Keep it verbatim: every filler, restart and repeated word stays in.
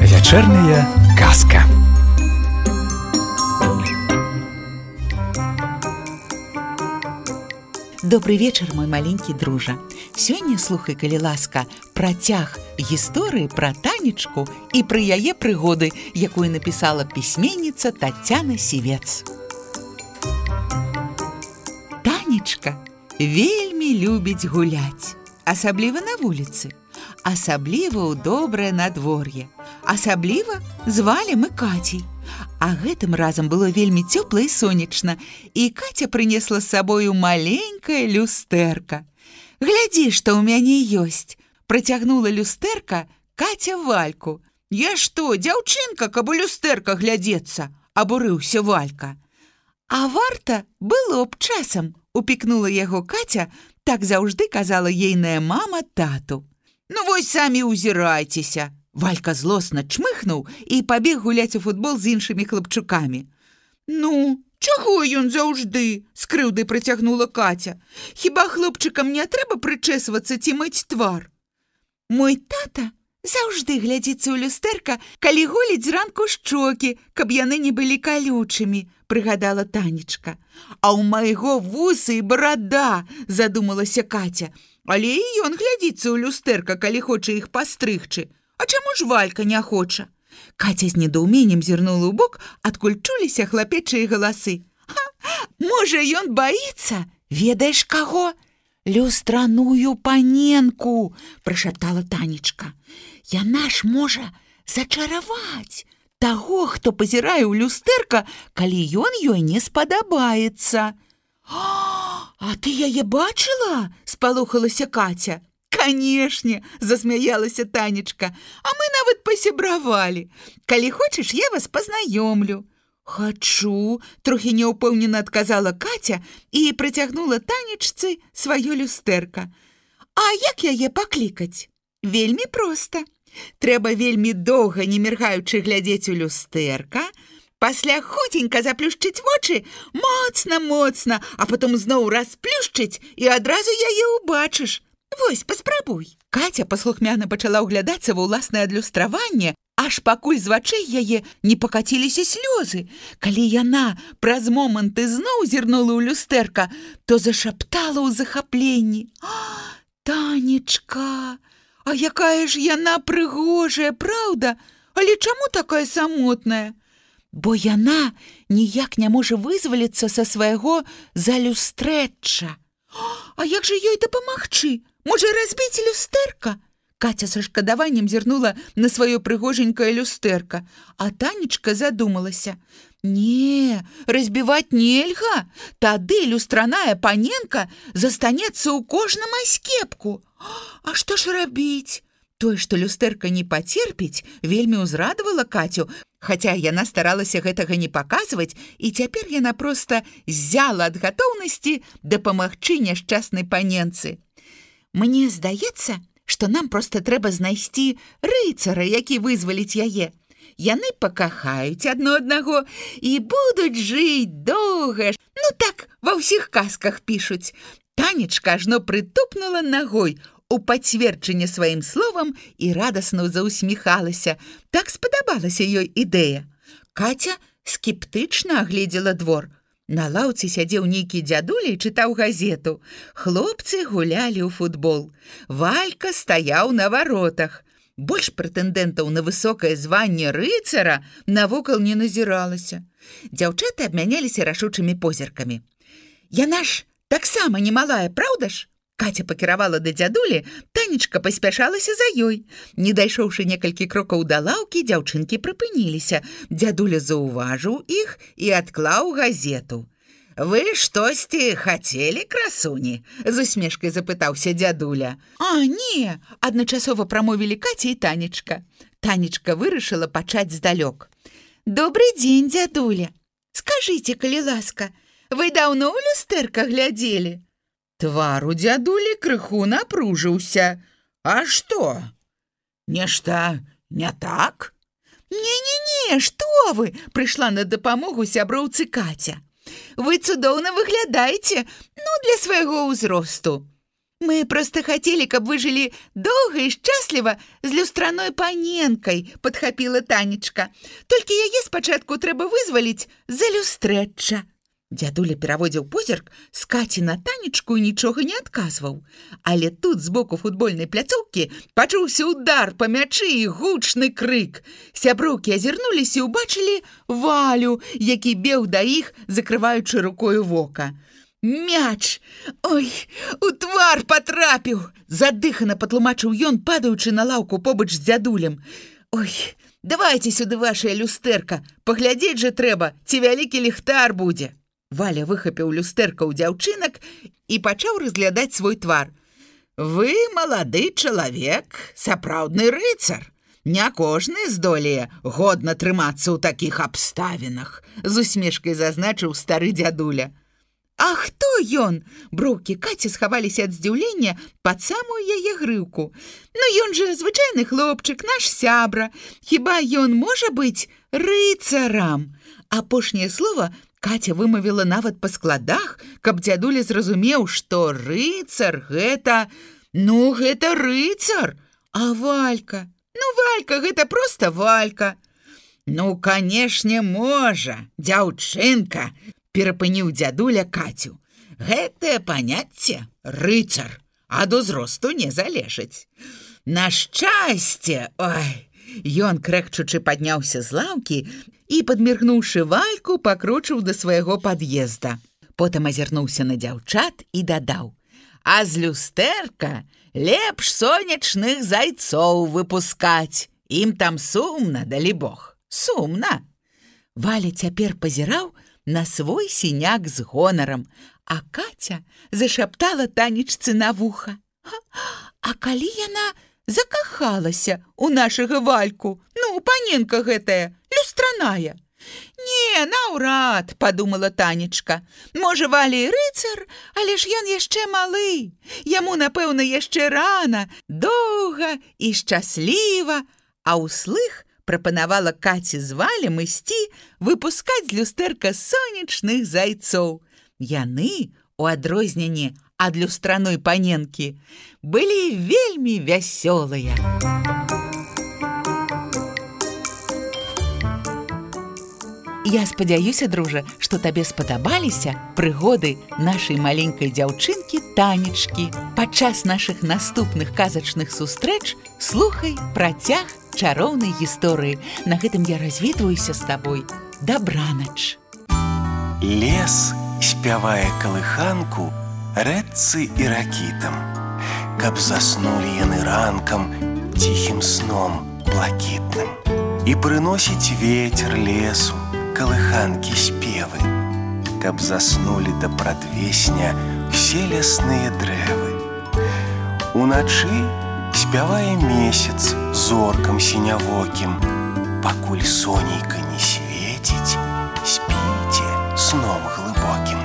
Вечерняя казка. Добрый вечер, мой маленький дружа. Сёння, слухай, калі ласка, працяг гісторыі пра Танечку і пра яе прыгоды, якую напісала пісьменніца Тацяна Сівец. Танечка вельмі любіць гуляць, асабліва на вуліцы, асабліва ў добрае надвор'е, асабліва звалі мы Кацей. А гэтым разам было вельмі цёпла і сонечна, і Каця прынесла з сабою маленькае люстэрка. «Глядзі, што ў мяне ёсць!» – працягнула люстэрка Каця Вальку. «Я што, дзяўчынка, каб у люстэрка глядзецца?» – абурыўся Валька. «А варта было б часам!» – упікнула яго Каця, так заўжды казала ейная мама тату. «Ну вось самі ўзірайцеся!» Валька злосна чмыхнуў і пабег гуляць у футбол з іншымі хлапчукамі. «Ну, чаго ён заўжды?» – з крыўдай працягнула Каця. «Хіба хлопчыкам не трэба прычэсвацца ці мыць твар?» «Мой тата заўжды глядзіцца ў люстэрка, калі голіць зранку шчокі, каб яны не былі калючымі», – прыгадала Танечка. «А ў майго вусы і барада», – задумалася Каця. «Але і ён глядзіцца ў люстэрка, калі хоча іх пастрыгчы. А чаму ж Валька не хоча?» Каця з недоуменнем зірнула ў бок, адкуль чуліся хлапечыя галасы. «Ха, можа, ён баіцца? Ведаеш каго?» «Люстраную паненку», – прашаптала Танечка. «Яна ж можа зачараваць таго, хто пазірае ў люстэрка, калі ён ёй не спадабаецца». «А ты яе бачыла?» – спалохалася Каця. «Канешне!» – засмяялася Танечка. «А мы нават пасябравалі. Калі хочаш, я вас пазнаёмлю». «Хачу!» – трохі няўпэўнена адказала Каця і прыцягнула Танечцы сваё люстэрка. «А як яе паклікаць?» «Вельмі проста. Трэба вельмі доўга, не міргаючы, глядзець у люстэрка, пасля хуценька заплюшчыць вочы, моцна-моцна, а потом зноў расплюшчыць, і адразу яе ўбачыш. Вось, паспрабуй». Каця паслухмяна пачала ўглядацца ва ўласнае адлюстраванне, аж пакуль з вачэй яе не пакаціліся слёзы. Калі яна праз момант ізноў зірнула ў люстэрка, то зашаптала ў захапленні. «А, Танечка, а якая ж яна прыгожая, праўда? Але чаму такая самотная?» «Бо яна ніяк не можа вызваліцца са свайго залюстрэчча». «А як жа ёй дапамагчы? Можа, разбіць люстэрка?» Каця са шкадаваннем зірнула на сваё прыгоженькае люстэрка, а Танечка задумалася. «Не, разбіваць нельга, тады люстраная паненка застанецца ў кожным аскепку. А што ж рабіць?» Тое, што люстэрка не пацерпіць, вельмі ўзрадавала Кацю, хаця яна старалася гэтага не паказваць, і цяпер яна проста ззяла ад гатоўнасці дапамагчы няшчаснай паненцы. «Мне здаецца, што нам проста трэба знайсці рыцара, які вызваліць яе. Яны пакахаюць адно аднаго і будуць жыць доўга. Ну так, ва ўсіх казках пішуць». Танечка ажно прытупнула нагой у пацверджанне сваім словам і радасна заўсміхалася. Так спадабалася ёй ідэя. Каця скептычна агледзела двор. На лаўцы сядзеў нейкі дзядуля і чытаў газету. Хлопцы гулялі ў футбол. Валька стаяў на варотах. Больш прэтэндэнтаў на высокае званне рыцара навокал не назіралася. Дзяўчаты абмяняліся рашучымі позіркамі. «Яна ж таксама немалая, праўда ж?» Каця пакіравала да дзядулі, Танечка паспяшалася за ёй. Не дайшоўшы некалькі крокаў да лаўкі, дзяўчынкі прыпыніліся. Дзядуля заўважыў іх і адклаў газету. «Вы штосьці хацелі, красуні?» – з усмешкай запытаўся дзядуля. «А, не!» – адначасова прамовілі Каця і Танечка. Танечка вырашыла пачаць здалёк. «Добры дзень, дзядуля! Скажыце, калі ласка, вы даўно ў люстэрка глядзелі?» Твар у дзядулі крыху напружыўся. «А што? Нешта не так?» «Не-не-не, што вы!» – прыйшла на дапамогу сяброўцы Каця. вы цудоўна выглядаеце, ну, для свайго ўзросту. Мы проста хацелі, каб вы жылі доўга і шчасліва з люстраной паненкай, падхапіла Танечка. Толькі яе спачатку трэба вызваліць за люстрэчча. Дзядуля пераводзіў позірк з Каці на Танечку і нічога не адказваў. Але тут з боку футбольнай пляцоўкі пачуўся удар па мячы і гучны крык. Сяброўкі азірнуліся і ўбачылі Валю, які бег да іх, закрываючы рукою вока. Мяч! Ой, у твар патрапіў! Задыхана патлумачыў ён, падаючы на лаўку побач з дзядулем. Ой, давайце сюды вашае люстэрка, паглядзець жа трэба, ці вялікі ліхтар будзе. Валя выхапіў люстэрка ў дзяўчынак і пачаў разглядаць свой твар. Вы малады чалавек, сапраўдны рыцар. Не кожны здолее годна трымацца ў такіх абставінах, з усмешкай зазначыў стары дзядуля. А хто ён? Броўкі Каці схаваліся ад здзіўлення пад самую яе грыўку. Ну ён жа звычайны хлопчык, наш сябра. Хіба ён можа быць рыцарам? Апошняе слова Каця вымавіла нават па складах, каб дзядуля зразумеў, што рыцар гэта... Ну, гэта рыцар. А Валька? Ну, Валька, гэта проста Валька. Ну, канешне, можа, дзяўчынка, перапыніў дзядуля Кацю. Гэтае паняцце рыцар ад узросту не залежыць. На шчасце, ой! Ён, крэкчучы, падняўся з лаўкі і, падміргнуўшы Вальку, пакрочыў да свайго пад'езда. Потым азірнуўся на дзяўчат і дадаў. А з люстэрка лепш сонечных зайцоў выпускаць. Ім там сумна, далібог, сумна. Валя цяпер пазіраў на свой сіняк з гонарам, а Каця зашаптала Танечцы на вуха. А калі яна закахалася ў нашага Вальку? Ну, паненка гэтая, люстраная. Не, наўрад, падумала Танечка. Можа, Валя і рыцар, але ж ён яшчэ малы. Яму, напэўна, яшчэ рана, доўга і шчасліва. А ўслых прапанавала Каці з Валем ісці выпускаць з люстэрка сонечных зайцоў. Яны, у адрозненне ад люстраной паненкі, былі вельмі вясёлыя. Я спадзяюся, дружа, што табе спадабаліся прыгоды нашай маленькай дзяўчынкі Танечкі. Падчас нашых наступных казачных сустрэч слухай працяг чароўнай гісторыі. На гэтым я развітваюся з табой. Дабранач. Лес спявае калыханку рэдцы і ракітам, каб заснулі яны ранкам ціхім сном блакітным. І прыносіць вецер лесу калыханкі спевы, каб заснулі да прадвесня ўсе лясныя дрэвы. Уначы спявае месяц зоркам сінявокім, пакуль сонейка не свеціць, спіце сном глыбокім.